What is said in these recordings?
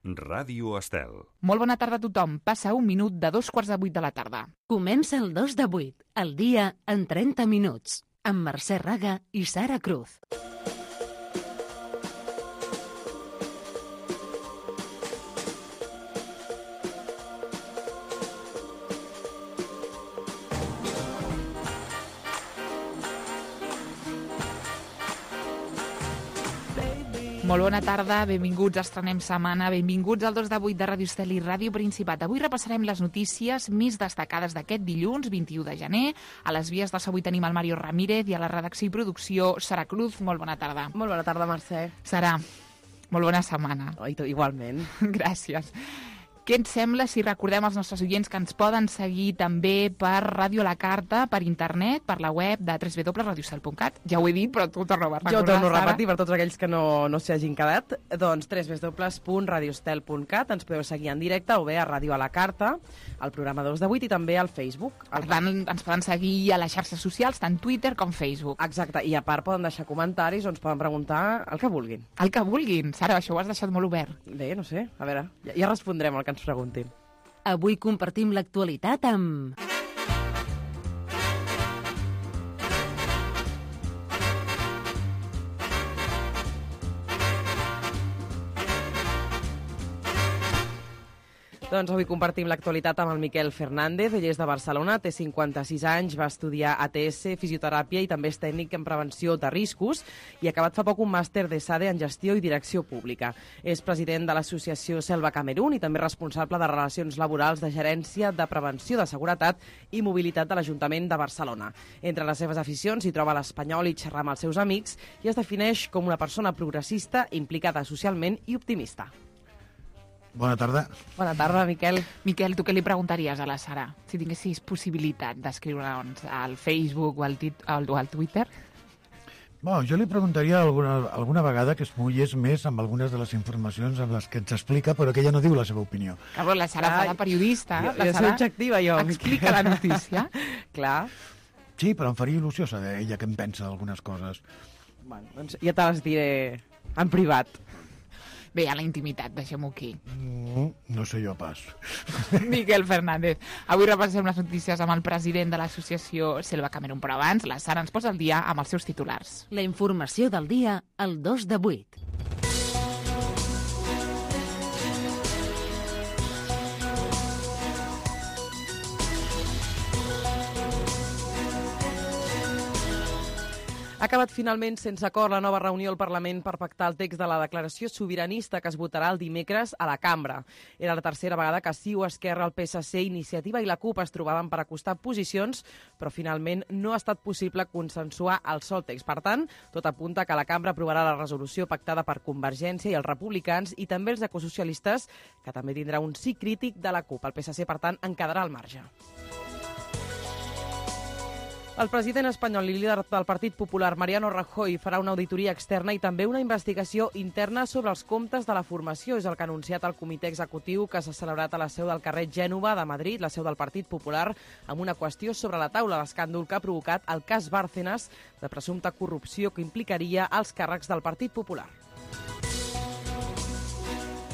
Ràdio Estel. Molt bona tarda a tothom. Passa un minut de 2:15 de la tarda. Comença el 2 de 8, el dia en 30 minuts, amb Mercè Raga i Sara Cruz. Molt bona tarda, benvinguts, estrenem setmana, benvinguts al 2 de 8 de Ràdio Estel i Ràdio Principat. Avui repassarem les notícies més destacades d'aquest dilluns, 21 de gener. A les vies de so avui tenim el Mario Ramírez i a la redacció i producció Sara Cruz. Molt bona tarda. Molt bona tarda, Mercè. Sara, molt bona setmana. Oh, igualment. Gràcies. Què et sembla si recordem als nostres oients que ens poden seguir també per Ràdio a la Carta, per internet, per la web de www.radiostel.cat? Ja ho he dit, però tu ho torno a recordar. Jo ho torno a repetir per tots aquells que no s'hi hagin quedat. Doncs www.radiostel.cat, ens podeu seguir en directe o bé a Ràdio a la Carta, al programa 2 de 8 i també al Facebook. Per tant, ens poden seguir a les xarxes socials, tant Twitter com Facebook. Exacte, i a part poden deixar comentaris o ens poden preguntar el que vulguin. El que vulguin. Sara, això ho has deixat molt obert. Bé, no sé, a veure, ja respondrem al que ens preguntin. Avui compartim l'actualitat amb... Doncs avui compartim l'actualitat amb el Miquel Fernández. Ell és de Barcelona, té 56 anys, va estudiar ATS, fisioteràpia i també és tècnic en prevenció de riscos i ha acabat fa poc un màster de SADE en gestió i direcció pública. És president de l'associació Selva Camerún i també responsable de relacions laborals de gerència de prevenció de seguretat i mobilitat de l'Ajuntament de Barcelona. Entre les seves aficions hi troba l'espanyol i xerrar amb els seus amics i es defineix com una persona progressista, implicada socialment i optimista. Bona tarda. Bona tarda, Miquel. Miquel, tu què li preguntaries a la Sara si tinguessis possibilitat d'escriure'ns al Facebook o al Twitter? Bon, jo li preguntaria alguna vegada que es mullés més amb algunes de les informacions amb les que ens explica, però que ella no diu la seva opinió. Clar, la Sara fa de periodista. Jo soy objectiva, jo. Explica la notícia. Clar. Sí, però em faria il·lusió saber ella què en pensa d'algunes coses. Bueno, doncs ja te les diré en privat. Bé, a la intimitat, deixem-ho aquí. No sé jo pas. Miquel Fernández. Avui repassem les notícies amb el president de l'associació Selva Camerún, però abans la Sara ens posa al dia amb els seus titulars. La informació del dia, el 2 de 8. Ha acabat finalment sense acord la nova reunió al Parlament per pactar el text de la declaració sobiranista que es votarà el dimecres a la Cambra. Era la tercera vegada que CiU, Esquerra, el PSC, Iniciativa i la CUP es trobaven per acostar posicions, però finalment no ha estat possible consensuar el sol text. Per tant, tot apunta que la Cambra aprovarà la resolució pactada per Convergència i els republicans i també els ecosocialistes, que també tindrà un sí crític de la CUP. El PSC, per tant, en quedarà al marge. El president espanyol i líder del Partit Popular, Mariano Rajoy, farà una auditoria externa i també una investigació interna sobre els comptes de la formació. És el que ha anunciat el comitè executiu que s'ha celebrat a la seu del carrer Gènova de Madrid, la seu del Partit Popular, amb una qüestió sobre la taula, l'escàndol que ha provocat el cas Bárcenas de presumpta corrupció que implicaria els càrrecs del Partit Popular.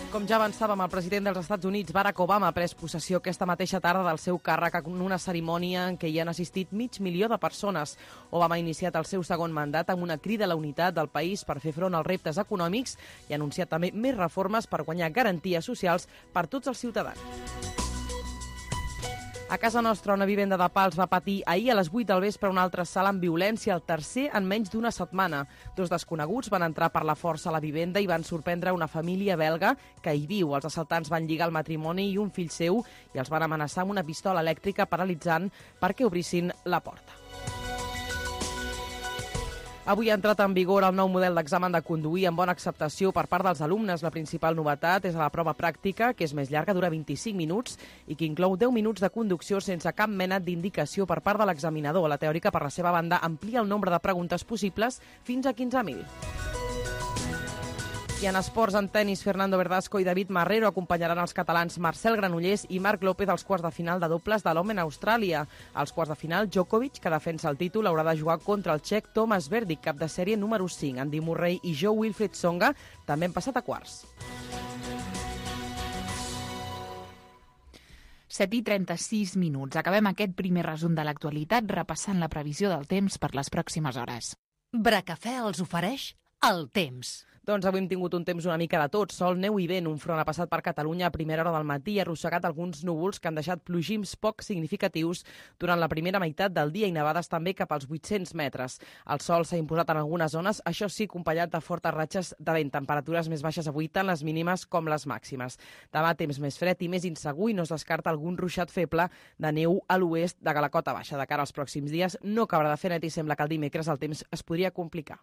Com ja avançàvem, el president dels Estats Units, Barack Obama, ha pres possessió aquesta mateixa tarda del seu càrrec en una cerimònia en què hi han assistit 500.000 de persones. Obama ha iniciat el seu segon mandat amb una crida a la unitat del país per fer front als reptes econòmics i ha anunciat també més reformes per guanyar garanties socials per tots els ciutadans. A casa nostra, una vivenda de Pals va patir ahir a les 8 del vespre un altre assalt amb violència, el tercer en menys d'una setmana. Dos desconeguts van entrar per la força a la vivenda i van sorprendre una família belga que hi viu. Els assaltants van lligar el matrimoni i un fill seu i els van amenaçar amb una pistola elèctrica paralitzant perquè obrissin la porta. Avui ha entrat en vigor el nou model d'examen de conduir amb bona acceptació per part dels alumnes. La principal novetat és la prova pràctica, que és més llarga, dura 25 minuts i que inclou 10 minuts de conducció sense cap mena d'indicació per part de l'examinador. La teòrica, per la seva banda, amplia el nombre de preguntes possibles fins a 15.000. I en esports, en tenis, Fernando Verdasco i David Marrero acompanyaran els catalans Marcel Granollers i Marc López als quarts de final de dobles de l'Open Austràlia. Als quarts de final, Djokovic, que defensa el títol, haurà de jugar contra el txec Tomas Berdych, cap de sèrie número 5. Andy Murray i Joe Wilfried Tsonga també han passat a quarts. 7:36. Acabem aquest primer resum de l'actualitat repassant la previsió del temps per les pròximes hores. Bracafè els ofereix el temps. Doncs avui hem tingut un temps una mica de tot, sol, neu i vent. Un front ha passat per Catalunya a primera hora del matí i ha arrossegat alguns núvols que han deixat plogims poc significatius durant la primera meitat del dia i nevades també cap als 800 metres. El sol s'ha imposat en algunes zones, això sí, acompanyat de fortes ratxes de vent. Temperatures més baixes avui, tant les mínimes com les màximes. Demà temps més fred i més insegur i no es descarta algun ruixat feble de neu a l'oest de la cota baixa. De cara als pròxims dies no acabarà de fer net i sembla que el dimecres el temps es podria complicar.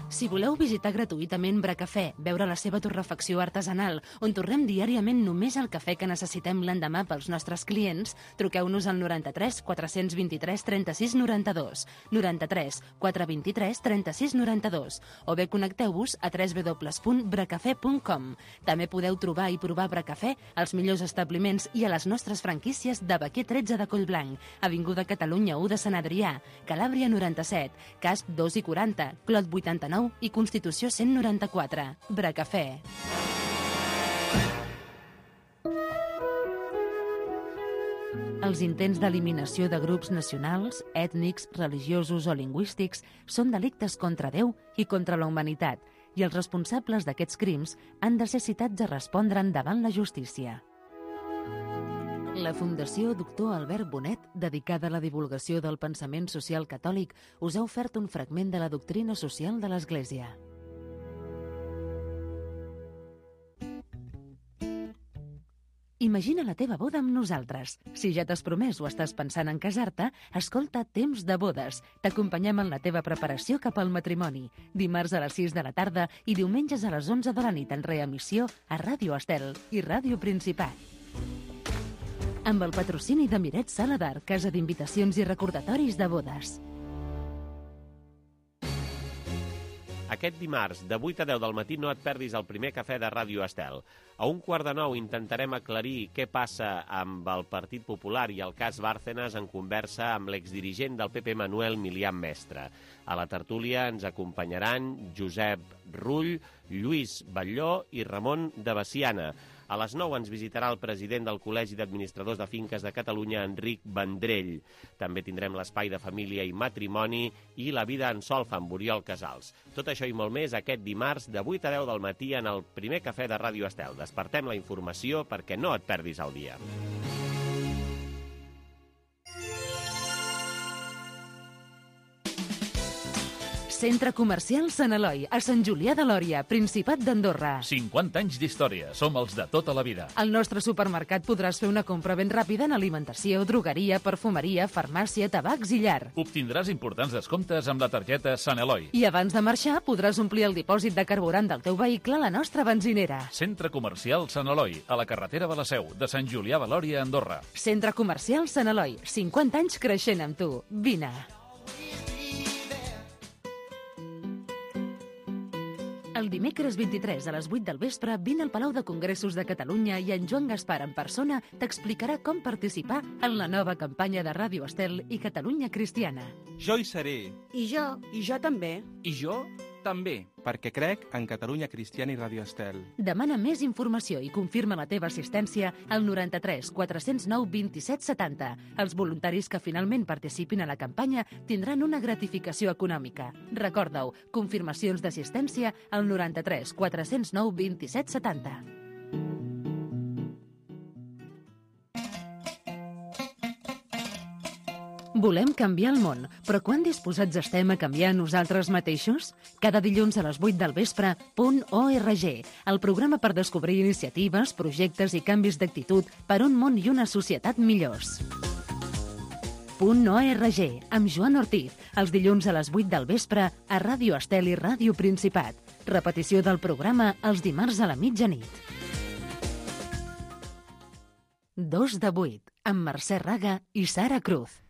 Si voleu visitar gratuïtament Bracafè, veure la seva torrefacció artesanal, on torrem diàriament només el cafè que necessitem l'endemà pels nostres clients, truqueu-nos al 93 423 36 92, 93 423 36 92, o bé connecteu-vos a www.bracafè.com. També podeu trobar i provar Bracafè als millors establiments i a les nostres franquícies de Baquer 13 de Collblanc, Avinguda Catalunya 1 de Sant Adrià, Calàbria 97, Casp 2 i 40, Clot 89 i Constitució 194. Bracafè. Els intents d'eliminació de grups nacionals, ètnics, religiosos o lingüístics són delictes contra Déu i contra la humanitat, i els responsables d'aquests crims han de ser citats a respondre'n davant la justícia. La Fundació Doctor Albert Bonet, dedicada a la divulgació del pensament social catòlic, us ha ofert un fragment de la doctrina social de l'Església. Imagina la teva boda amb nosaltres. Si ja t'has promès o estàs pensant en casar-te, escolta Temps de Bodes. T'acompanyem en la teva preparació cap al matrimoni. Dimarts a les 6 de la tarda i diumenges a les 11 de la nit en reemissió a Ràdio Estel i Ràdio Principat. Amb el patrocini de Miret Sala d'Art, casa d'invitacions i recordatoris de bodes. Aquest dimarts, de 8 a 10 del matí, no et perdis el primer cafè de Ràdio Estel. A 1:15 intentarem aclarir què passa amb el Partit Popular i el cas Bárcenas en conversa amb l'exdirigent del PP Manuel Milián Mestre. A la tertúlia ens acompanyaran Josep Rull, Lluís Batlló i Ramon de Baciana. A les 9 ens visitarà el president del Col·legi d'Administradors de Finques de Catalunya, Enric Vendrell. També tindrem l'espai de família i matrimoni i la vida en solfa amb Oriol Casals. Tot això i molt més aquest dimarts de 8 a 10 del matí en el primer cafè de Ràdio Estel. Despertem la informació perquè no et perdis el dia. Centre Comercial Sant Eloi, a Sant Julià de Lòria, Principat d'Andorra. 50 anys d'història, som els de tota la vida. Al nostre supermercat podràs fer una compra ben ràpida en alimentació, drogueria, perfumeria, farmàcia, tabacs i llar. Obtindràs importants descomptes amb la targeta Sant Eloi. I abans de marxar podràs omplir el dipòsit de carburant del teu vehicle a la nostra benzinera. Centre Comercial Sant Eloi, a la carretera de la Seu, de Sant Julià de Lòria, Andorra. Centre Comercial Sant Eloi, 50 anys creixent amb tu. Vine. El dimecres 23 a les 8 del vespre vine al Palau de Congressos de Catalunya i en Joan Gaspar en persona t'explicarà com participar en la nova campanya de Ràdio Estel i Catalunya Cristiana. Jo hi seré. I jo. I jo també. I jo també, perquè crec en Catalunya Cristiana i Ràdio Estel. Demana més informació i confirma la teva assistència al 93 409 27 70. Els voluntaris que finalment participin a la campanya tindran una gratificació econòmica. Recorda-ho, confirmacions d'assistència al 93 409 27 70. Volem canviar el món, però quan disposats estem a canviar nosaltres mateixos? Cada dilluns a les 8 del vespre, .org, el programa per descobrir iniciatives, projectes i canvis d'actitud per un món i una societat millors. .org, amb Joan Ortiz, els dilluns a les 8 del vespre a Ràdio Estel i Ràdio Principat. Repetició del programa els dimarts a la mitjanit. 2 de 8, amb Mercè Raga i Sara Cruz.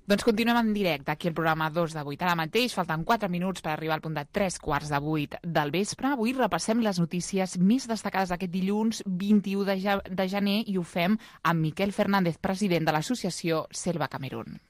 Doncs continuem en directe aquí al programa 2 de 8. Ara mateix falten 4 minuts per arribar al punt de 3:15 del vespre. Avui repassem les notícies més destacades d'aquest dilluns 21 de gener i ho fem amb Miquel Fernández, president de l'associació Selva Camerún.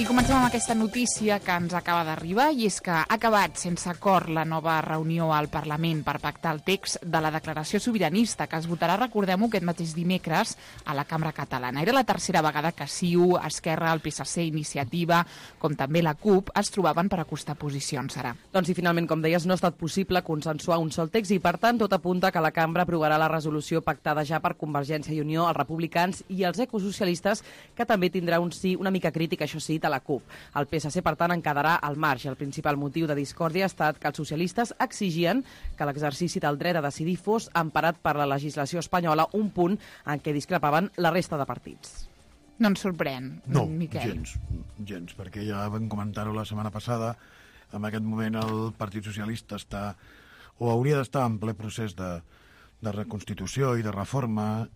I comencem amb aquesta notícia que ens acaba d'arribar, i és que ha acabat sense acord la nova reunió al Parlament per pactar el text de la declaració sobiranista, que es votarà, recordem-ho, aquest mateix dimecres a la Cambra Catalana. Era la tercera vegada que CiU, Esquerra, el PSC, Iniciativa, com també la CUP, es trobaven per acostar posicions, Sara. Doncs i finalment, com deies, no ha estat possible consensuar un sol text i, per tant, tot apunta que la Cambra aprovarà la resolució pactada ja per Convergència i Unió, els republicans i els ecosocialistes, que també tindrà un sí una mica crític, això sí, de la CUP. El PSC, per tant, en quedarà al marge. El principal motiu de discòrdia ha estat que els socialistes exigien que l'exercici del dret a decidir fos emparat per la legislació espanyola, un punt en què discrepaven la resta de partits. No ens sorprèn, No, Miquel? gens, perquè ja vam comentar-ho la setmana passada. En aquest moment el Partit Socialista està, o hauria d'estar en ple procés de reconstitució i de reforma,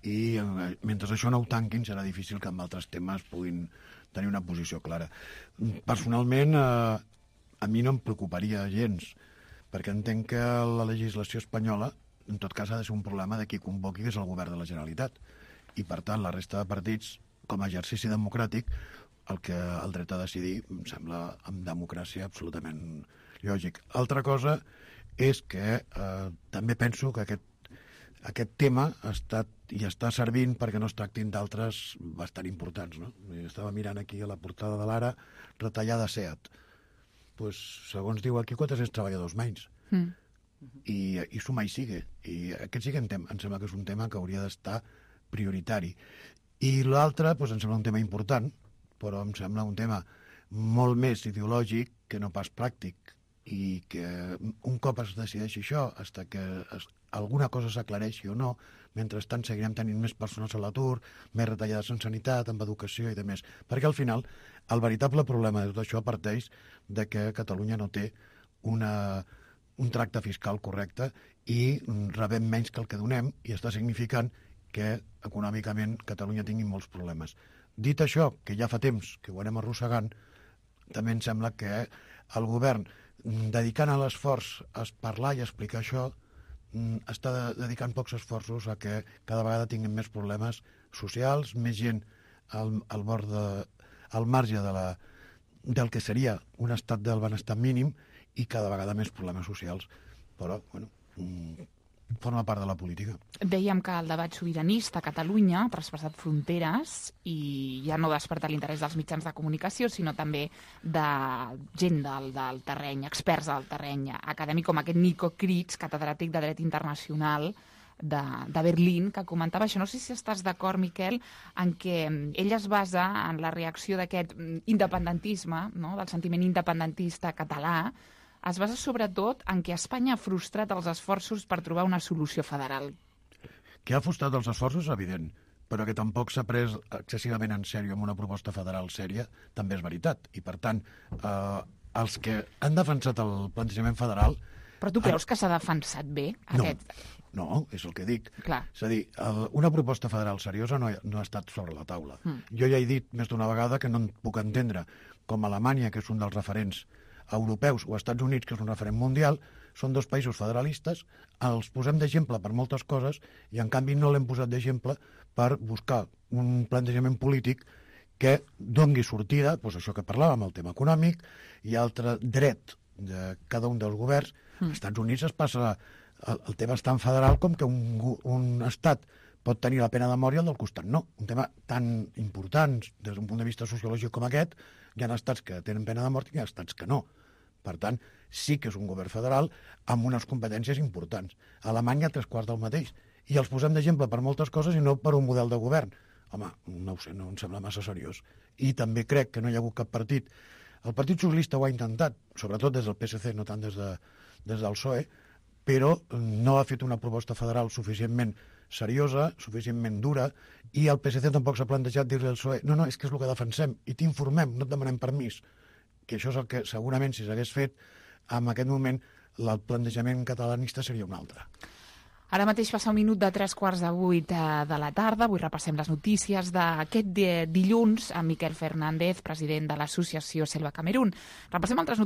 i mentre això no ho tanquin serà difícil que en altres temes puguin tenir una posició clara. Personalment, a mi no em preocuparia gens, perquè entenc que la legislació espanyola, en tot cas, ha de ser un problema de qui convoqui, que és el govern de la Generalitat. I, per tant, la resta de partits, com a exercici democràtic, el dret a decidir em sembla en democràcia absolutament lògic. Altra cosa és que també penso que aquest tema ha estat i està servint perquè no es tractin d'altres bastant importants, no? Estava mirant aquí a la portada de l'Ara, retallada SEAT. Pues, segons diu aquí, 400 treballadors menys. I suma i sigue. I aquest sí que em sembla que és un tema que hauria d'estar prioritari. I l'altre, pues, em sembla un tema important, però em sembla un tema molt més ideològic que no pas pràctic. I que un cop es decideixi això, fins que alguna cosa s'aclareixi o no, mentrestant seguirem tenint més persones a l'atur, més retallades en sanitat, en educació i demés. Perquè al final el veritable problema de tot això parteix de que Catalunya no té un tracte fiscal correcte i rebem menys que el que donem, i està significant que econòmicament Catalunya tingui molts problemes. Dit això, que ja fa temps que ho anem arrossegant, també em sembla que el govern, dedicant a l'esforç a parlar i a explicar això, està dedicant pocs esforços a que cada vegada tinguem més problemes socials, més gent al marge del que seria un estat del benestar mínim, i cada vegada més problemes socials. Però, bueno, forma part de la política. Dèiem que el debat sobiranista a Catalunya ha traspassat fronteres i ja no desperta l'interès dels mitjans de comunicació, sinó també de gent del terreny, experts del terreny acadèmic, com aquest Nico Kritz, catedràtic de Dret Internacional de Berlín, que comentava això. No sé si estàs d'acord, Miquel, en què ell es basa en la reacció d'aquest independentisme, no?, del sentiment independentista català, es basa sobretot en que Espanya ha frustrat els esforços per trobar una solució federal. Que ha frustrat els esforços, evident, però que tampoc s'ha pres excessivament en sèrio amb una proposta federal sèria, també és veritat. I, per tant, els que han defensat el plantejament federal... Però tu creus que s'ha defensat bé? No, és el que dic. Clar. És a dir, una proposta federal seriosa no ha estat sobre la taula. Jo ja he dit més d'una vegada que no puc entendre com Alemanya, que és un dels referents europeus, o Estats Units, que és un referent mundial, són dos països federalistes, els posem d'exemple per moltes coses i, en canvi, no l'hem posat d'exemple per buscar un plantejament polític que dongui sortida, doncs això que parlàvem, el tema econòmic i altre dret de cada un dels governs. Als Estats Units es passa el tema és tan federal com que un estat pot tenir la pena de mort i el del costat no. Un tema tan important des d'un punt de vista sociològic com aquest, hi ha estats que tenen pena de mort i hi ha estats que no. Per tant, sí que és un govern federal amb unes competències importants. A Alemanya, 3/4 del mateix. I els posem d'exemple per moltes coses i no per un model de govern. Home, no ho sé, no em sembla massa seriós. I també crec que no hi ha hagut cap partit. El Partit Socialista ho ha intentat, sobretot des del PSC, no tant des del PSOE, però no ha fet una proposta federal suficientment seriosa, suficientment dura, i el PSC tampoc s'ha plantejat dir-li al PSOE no, és que és el que defensem, i t'informem, no et demanem permís. Que això és el que segurament, si s'hagués fet en aquest moment, el plantejament catalanista seria un altre. Ara mateix passa un minut de 7:45 de la tarda. Avui repassem les notícies d'aquest dilluns amb Miquel Fernández, president de l'associació Selva Camerún. Repassem altres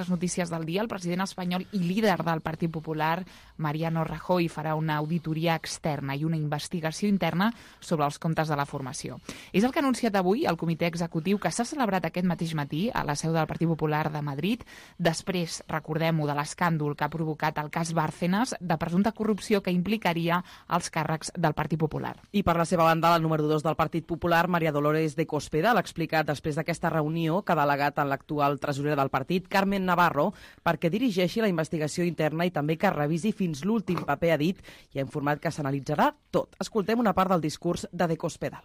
notícies del dia. El president espanyol i líder del Partit Popular, Mariano Rajoy, farà una auditoria externa i una investigació interna sobre els comptes de la formació. És el que ha anunciat avui el comitè executiu que s'ha celebrat aquest mateix matí a la seu del Partit Popular de Madrid, després, recordem-ho, de l'escàndol que ha provocat el cas Bárcenas de presumpta corrupció que implicaria els càrrecs del Partit Popular. I per la seva banda, la número 2 del Partit Popular, María Dolores de Cospedal, ha explicat després d'aquesta reunió que ha delegat en l'actual tresorera del partit, Carmen Navarro, perquè dirigeixi la investigació interna i també que revisi fins l'últim paper, ha dit, i ha informat que s'analitzarà tot. Escoltem una part del discurs de Cospedal.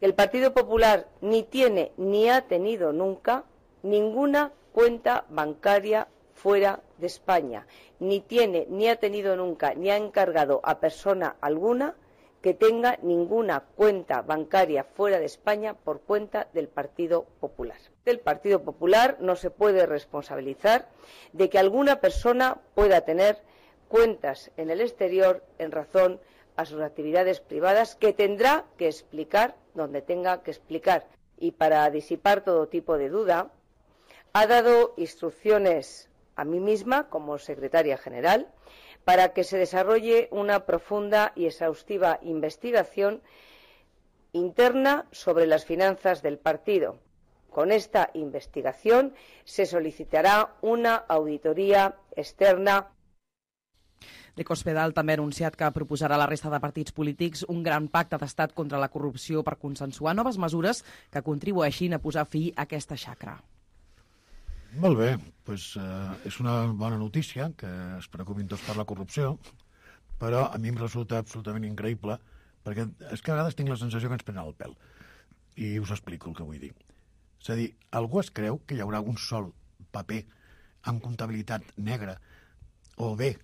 El Partido Popular ni tiene ni ha tenido nunca ninguna cuenta bancaria fuera de España, ni tiene, ni ha tenido nunca, ni ha encargado a persona alguna que tenga ninguna cuenta bancaria fuera de España por cuenta del Partido Popular. El Partido Popular no se puede responsabilizar de que alguna persona pueda tener cuentas en el exterior en razón a sus actividades privadas que tendrá que explicar donde tenga que explicar. Y para disipar todo tipo de duda, ha dado instrucciones a mí misma, como secretaria general, para que se desarrolle una profunda y exhaustiva investigación interna sobre las finanzas del partido. Con esta investigación se solicitará una auditoría externa. De Cospedal també ha anunciat que proposarà a la resta de partits polítics un gran pacte d'estat contra la corrupció per consensuar noves mesures que contribueixin a posar fi a aquesta xacra. Molt bé, doncs és una bona notícia que es preocupin tots per la corrupció, però a mi em resulta absolutament increïble perquè és que a vegades tinc la sensació que ens prenen el pèl. I us explico el que vull dir. És a dir, algú es creu que hi haurà un sol paper amb comptabilitat negra, o bé,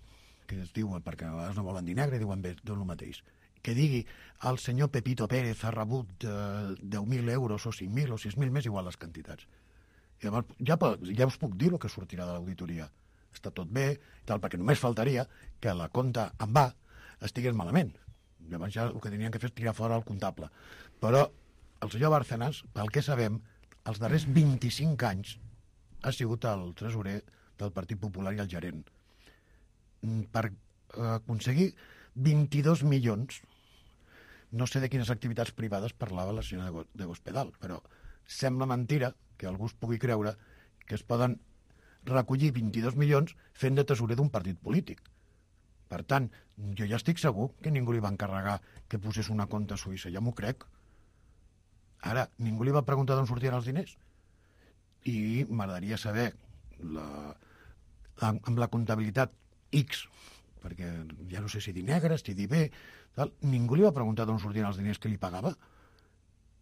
que es diuen, perquè a vegades no volen dir negre, diuen bé, del mateix, que digui el senyor Pepito Pérez ha rebut 10.000 euros o 5.000 o 6.000, més igual les quantitats. I llavors, ja us puc dir el que sortirà de l'auditoria. Està tot bé, tal, perquè només faltaria que la compta en va estigués malament. Llavors ja el que tenien que fer és tirar fora el comptable. Però el senyor Bárcenas, pel que sabem, els darrers 25 anys ha sigut el tresorer del Partit Popular i el gerent. Per aconseguir 22 milions, no sé de quines activitats privades parlava la senyora de Cospedal, però sembla mentira que algú es pugui creure que es poden recollir 22 milions fent de tresorer d'un partit polític. Per tant, jo ja estic segur que ningú li va encarregar que posés una compta a Suïssa, ja m'ho crec. Ara, ningú li va preguntar d'on sortien els diners. I m'agradaria saber, amb la comptabilitat X, perquè ja no sé si dir negre, si dir bé, tal, ningú li va preguntar d'on sortien els diners que li pagava.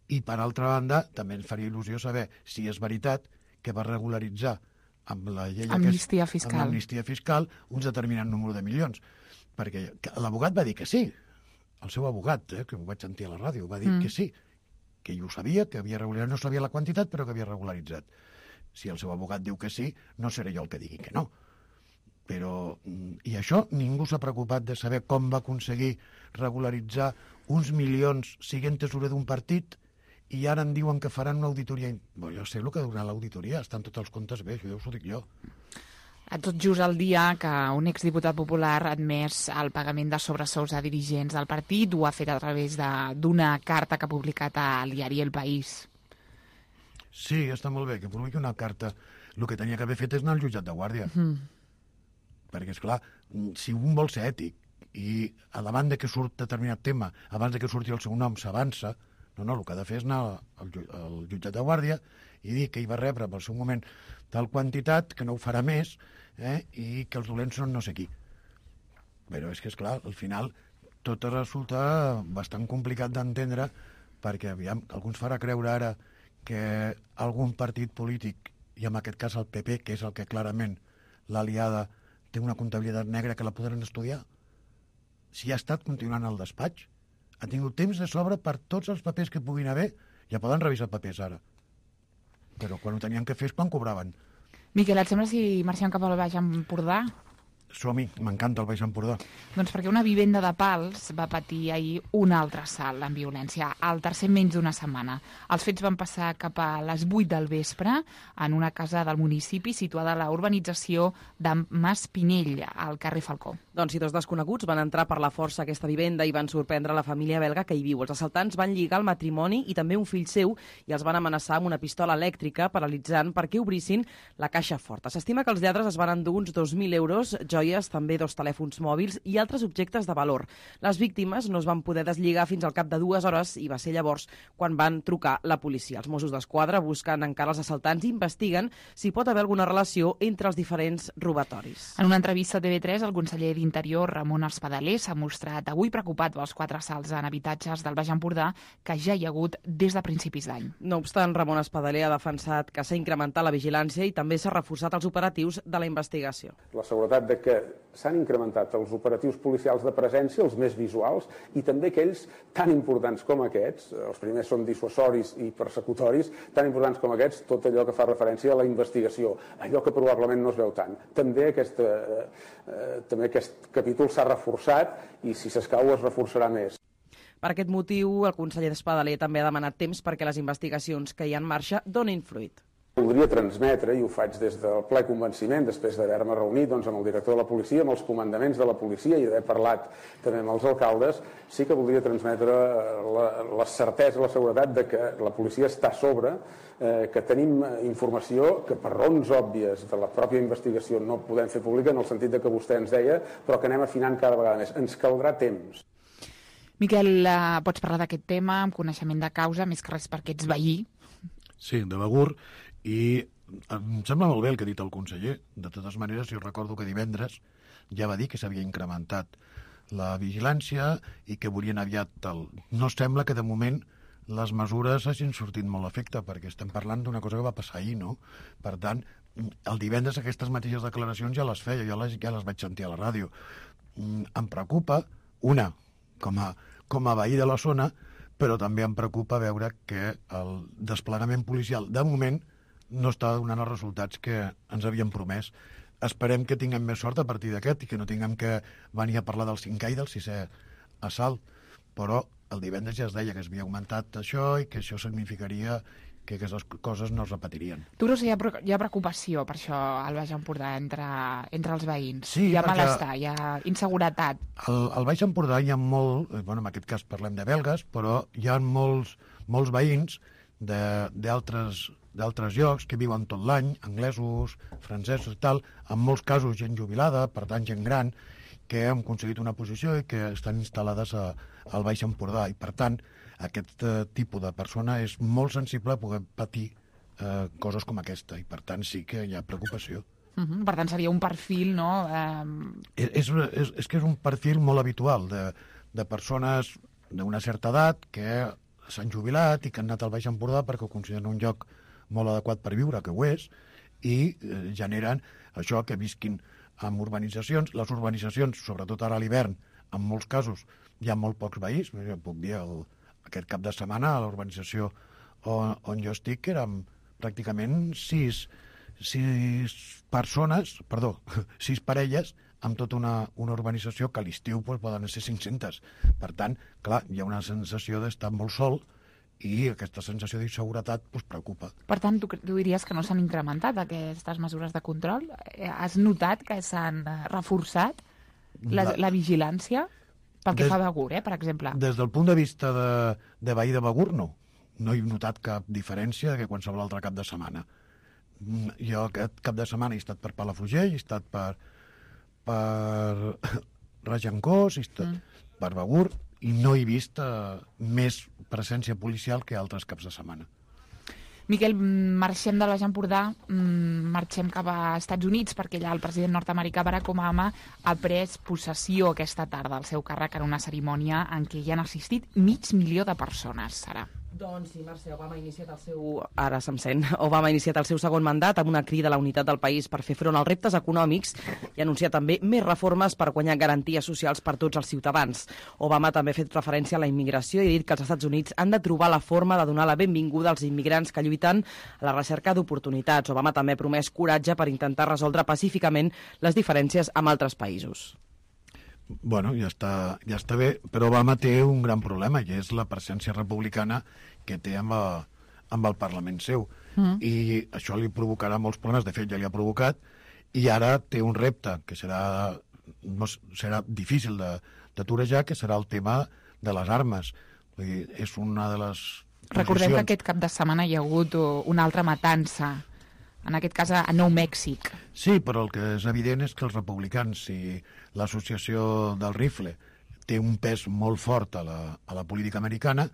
I, per altra banda, també ens faria il·lusió saber si és veritat que va regularitzar amb la llei amnistia fiscal. Amb l'amnistia fiscal uns determinat número de milions. Perquè l'abogat va dir que sí. El seu abogat, que ho vaig sentir a la ràdio, va dir que sí, que ell ho sabia, que havia regularitzat, no sabia la quantitat, però que havia regularitzat. Si el seu abogat diu que sí, no seré jo el que digui que no. Però, i això, ningú s'ha preocupat de saber com va aconseguir regularitzar uns milions siguent tresorer d'un partit i ara em diuen que faran una auditoria. Bé, jo sé el que durarà l'auditoria, estan tots els comptes bé, això ja us ho dic jo. A tot just el dia que un exdiputat popular ha admès el pagament de sobresous a dirigents del partit, ho ha fet a través d'una carta que ha publicat al diari El País. Sí, està molt bé, que publiqui una carta. El que tenia que haver fet és anar al jutjat de guàrdia. Perquè, esclar, si un vol ser ètic i a davant de que surt determinat tema, abans de que surti el seu nom, s'avança, no, el que ha de fer és anar al jutjat de guàrdia i dir que hi va rebre pel seu moment tal quantitat, que no ho farà més, i que els dolents són no sé qui. Però és que, esclar, al final tot resulta bastant complicat d'entendre perquè, aviam, algú ens farà creure ara que algun partit polític, i en aquest cas el PP, que és el que clarament l'aliada té una comptabilitat negra que la podran estudiar. Si ha estat continuant al despatx, ha tingut temps de sobre per tots els papers que puguin haver, ja poden revisar papers ara. Però quan ho tenien que fer és quan cobraven. Miquel, et sembla si marxem cap al Baix Empordà? Som-hi, m'encanta el Baix Empordà. Doncs perquè una vivenda de Pals va patir ahir un altre assalt en violència, el tercer en menys d'una setmana. Els fets van passar cap a les 8 del vespre en una casa del municipi situada a la urbanització de Mas Pinell, al carrer Falcó. Doncs si dos desconeguts van entrar per la força a aquesta vivenda i van sorprendre la família belga que hi viu. Els assaltants van lligar el matrimoni i també un fill seu i els van amenaçar amb una pistola elèctrica paralitzant perquè obrissin la caixa forta. S'estima que els lladres es van endur uns 2.000 euros, joies, també 2 telèfons mòbils i altres objectes de valor. Les víctimes no es van poder deslligar fins al cap de 2 hores i va ser llavors quan van trucar la policia. Els Mossos d'Esquadra busquen encara els assaltants i investiguen si pot haver alguna relació entre els diferents robatoris. En una entrevista a TV3, el conseller d'Interior, Ramon Espadaler, s'ha mostrat avui preocupat pels 4 assalts en habitatges del Baix Empordà que ja hi ha hagut des de principis d'any. No obstant, Ramon Espadaler ha defensat que s'ha incrementat la vigilància i també s'ha reforçat els operatius de la investigació. La seguretat de que s'han incrementat els operatius policials de presència, els més visuals, i també aquells tan importants com aquests, els primers són dissuasoris i persecutoris, tan importants com aquests, tot allò que fa referència a la investigació, allò que probablement no es veu tant. També aquest capítol s'ha reforçat i, si s'escau, es reforçarà més. Per aquest motiu, el conseller d'Espadaler també ha demanat temps perquè les investigacions que hi ha en marxa donin fruit. Voldria transmetre, i ho faig des del ple convenciment, després d'haver-me reunit amb el director de la policia, amb els comandaments de la policia i d'haver parlat també amb els alcaldes, sí que voldria transmetre la certesa, la seguretat de que la policia està a sobre, que tenim informació que per raons òbvies de la pròpia investigació no podem fer pública, en el sentit de que vostè ens deia, però que anem afinant cada vegada més. Ens caldrà temps. Miquel, pots parlar d'aquest tema amb coneixement de causa, més que res perquè ets veí? Sí, de Begur. I em sembla molt bé el que ha dit el conseller. De totes maneres, jo recordo que divendres ja va dir que s'havia incrementat la vigilància i que volien aviat No sembla que de moment les mesures hagin sortit molt a efecte, perquè estem parlant d'una cosa que va passar ahir, no? Per tant, el divendres aquestes mateixes declaracions ja les feia, ja les vaig sentir a la ràdio. Em preocupa, una, com a veí de la zona, però també em preocupa veure que el desplegament policial, de moment, no està donant els resultats que ens havien promès. Esperem que tinguem més sort a partir d'aquest i que no tinguem que venir a parlar del 5è i del 6è assalt. Però el divendres ja es deia que s'havia augmentat això i que això significaria que aquestes coses no es repetirien. Tu creus que hi ha preocupació per això al Baix Empordà entre els veïns? Sí, hi ha malestar, hi ha inseguretat. Al Baix Empordà hi ha en aquest cas parlem de belgues, però hi ha molts veïns d'altres llocs que viuen tot l'any, anglesos, francesos i tal, en molts casos gent jubilada, per tant gent gran, que han aconseguit una posició i que estan instal·lades al Baix Empordà. I per tant, aquest tipus de persona és molt sensible a poder patir coses com aquesta. I per tant sí que hi ha preocupació. Per tant, seria un perfil, no? És que és un perfil molt habitual de persones d'una certa edat que s'han jubilat i que han anat al Baix Empordà perquè ho consideren un lloc molt adequat per viure, que ho és, i generen això, que visquin en urbanitzacions. Les urbanitzacions, sobretot ara a l'hivern, en molts casos hi ha molt pocs veïns. Jo puc dir, aquest cap de setmana a la urbanització on jo estic érem pràcticament 6 parelles amb tota una urbanització que a l'estiu poden ser 500. Per tant, clar, hi ha una sensació d'estar molt sol i aquesta sensació d'inseguretat preocupa. Per tant, tu diries que no s'han incrementat aquestes mesures de control? Has notat que s'han reforçat la vigilància? Pel que fa a Begur, per exemple. Des del punt de vista de veí de Begur, no. No he notat cap diferència que qualsevol altre cap de setmana. Jo aquest cap de setmana he estat per Palafrugell, he estat per Regencós, he estat per Begur, i no he vist més presència policial que altres caps de setmana. Miquel, marxem del Baix Empordà, marxem cap a Estats Units, perquè allà el president nord-americà Barack Obama ha pres possessió aquesta tarda del seu càrrec en una cerimònia en què hi han assistit 500.000 de persones, Sara. Doncs sí, Mercè, Obama ha iniciat el seu... Ara se'm sent. Obama ha iniciat el seu segon mandat amb una crida a la unitat del país per fer front als reptes econòmics i ha anunciat també més reformes per guanyar garanties socials per tots els ciutadans. Obama també ha fet referència a la immigració i ha dit que els Estats Units han de trobar la forma de donar la benvinguda als immigrants que lluiten a la recerca d'oportunitats. Obama també ha promès coratge per intentar resoldre pacíficament les diferències amb altres països. Bueno, ja està bé, però Obama té un gran problema, i és la presència republicana que té amb el Parlament seu. I això li provocarà molts problemes, de fet ja li ha provocat, i ara té un repte que serà difícil de torejar, que serà el tema de les armes. Vull dir, és una de les Recordem que aquest cap de setmana hi ha hagut una altra matança, en aquest cas a Nou Mèxic. Sí, però el que és evident és que els republicans i l'associació del rifle té un pes molt fort a la política americana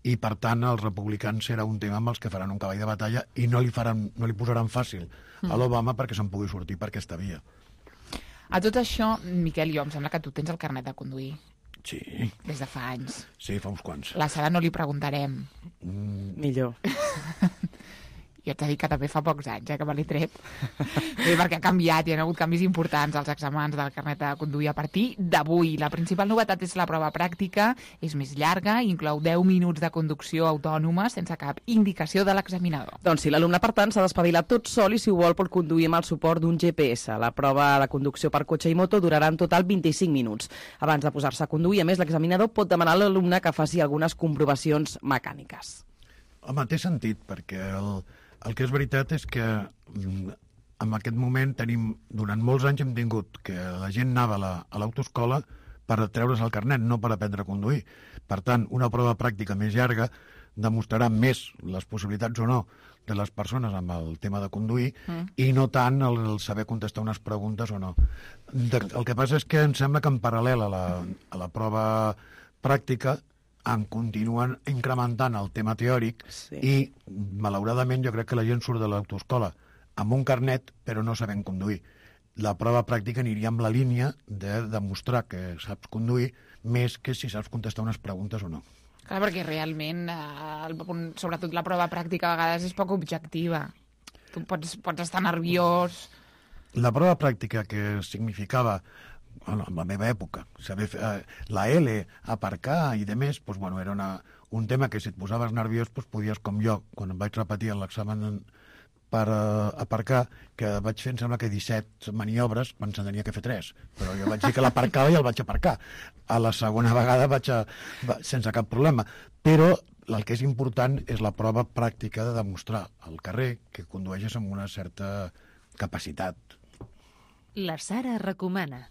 i, per tant, els republicans serà un tema amb els que faran un cavall de batalla i no li posaran fàcil a l'Obama perquè se'n pugui sortir per aquesta via. A tot això, Miquel, em sembla que tu tens el carnet de conduir. Sí. Des de fa anys. Sí, fa uns quants. La Sara no li preguntarem. Millor. Jo t'he dit que també fa pocs anys, que me l'he tret. Bé, perquè ha canviat, hi ha hagut canvis importants als exàmens del carnet de conduir a partir d'avui. La principal novetat és la prova pràctica, és més llarga, inclou 10 minuts de conducció autònoma sense cap indicació de l'examinador. Doncs sí, l'alumne, per tant, s'ha d'espavilar tot sol i, si ho vol, pot conduir amb el suport d'un GPS. La prova de conducció per cotxe i moto durarà en total 25 minuts. Abans de posar-se a conduir, a més, l'examinador pot demanar a l'alumne que faci algunes comprovacions mecàniques. Home, té sentit, perquè el que és veritat és que en aquest moment durant molts anys hem tingut que la gent anava a l'autoescola per treure's el carnet, no per aprendre a conduir. Per tant, una prova pràctica més llarga demostrarà més les possibilitats o no de les persones amb el tema de conduir i no tant el saber contestar unes preguntes o no. El que passa és que em sembla que en paral·lel a la prova pràctica en continuen incrementant el tema teòric i, malauradament, jo crec que la gent surt de l'autoescola amb un carnet però no sabent conduir. La prova pràctica aniria amb la línia de demostrar que saps conduir més que si saps contestar unes preguntes o no. Clar, perquè realment, sobretot la prova pràctica a vegades és poc objectiva. Tu pots estar nerviós. La prova pràctica que significava en la meva època, saber la L, aparcar i de més, era un tema que si et posaves nerviós podies, com jo, quan em vaig repetir l'examen per aparcar, que vaig fer, em sembla que 17 maniobres quan se'n tenia que fer 3, però jo vaig dir que l'aparcava i el vaig aparcar. A la segona vegada sense cap problema. Però el que és important és la prova pràctica de demostrar al carrer que condueixes amb una certa capacitat. La Sara recomana.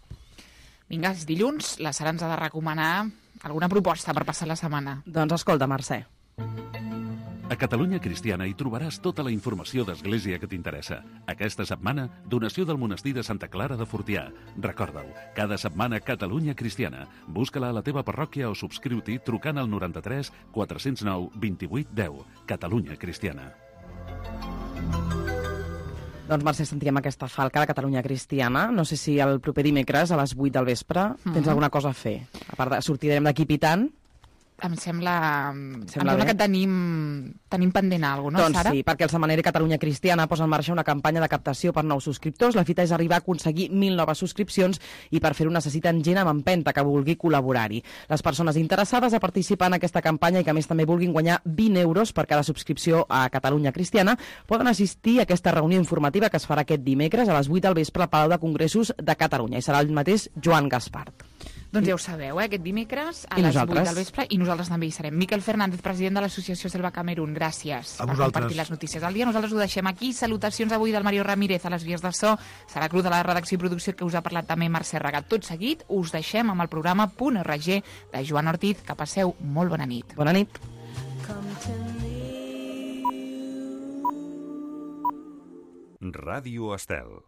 Vinga, és dilluns, la Sara ens ha de recomanar alguna proposta per passar la setmana. Doncs escolta, Mercè. A Catalunya Cristiana hi trobaràs tota la informació d'Església que t'interessa. Aquesta setmana, donació del monestir de Santa Clara de Fortià. Recorda-ho, cada setmana Catalunya Cristiana. Busca-la a la teva parròquia o subscriu-t'hi trucant al 93 409 28 10. Catalunya Cristiana. Doncs, Mercè, sentíem aquesta falca de Catalunya Cristiana. No sé si el proper dimecres a les 8 del vespre tens alguna cosa a fer. A part de sortirem d'aquí pitant. Em sembla que tenim pendent alguna cosa, no, Sara? Doncs sí, perquè el setmanari Catalunya Cristiana posa en marxa una campanya de captació per nous subscriptors. La fita és arribar a aconseguir 1.000 noves subscripcions i per fer-ho necessiten gent amb empenta que vulgui col·laborar-hi. Les persones interessades a participar en aquesta campanya i que a més també vulguin guanyar 20 euros per cada subscripció a Catalunya Cristiana poden assistir a aquesta reunió informativa que es farà aquest dimecres a les 8 del vespre al Palau de Congressos de Catalunya i serà el mateix Joan Gaspart. Doncs ja ho sabeu, aquest dimecres a les 8 del vespre, i nosaltres també hi serem. Miquel Fernández, president de l'Associació Selva Camerún, gràcies per compartir les notícies del dia. Nosaltres ho deixem aquí. Salutacions avui del Mario Ramírez a les vies de so, Sara Cruz de la redacció i producció, que us ha parlat també Mercè Regat. Tot seguit us deixem amb el programa .RG de Joan Ortiz. Que passeu molt bona nit. Bona nit. Ràdio Estel.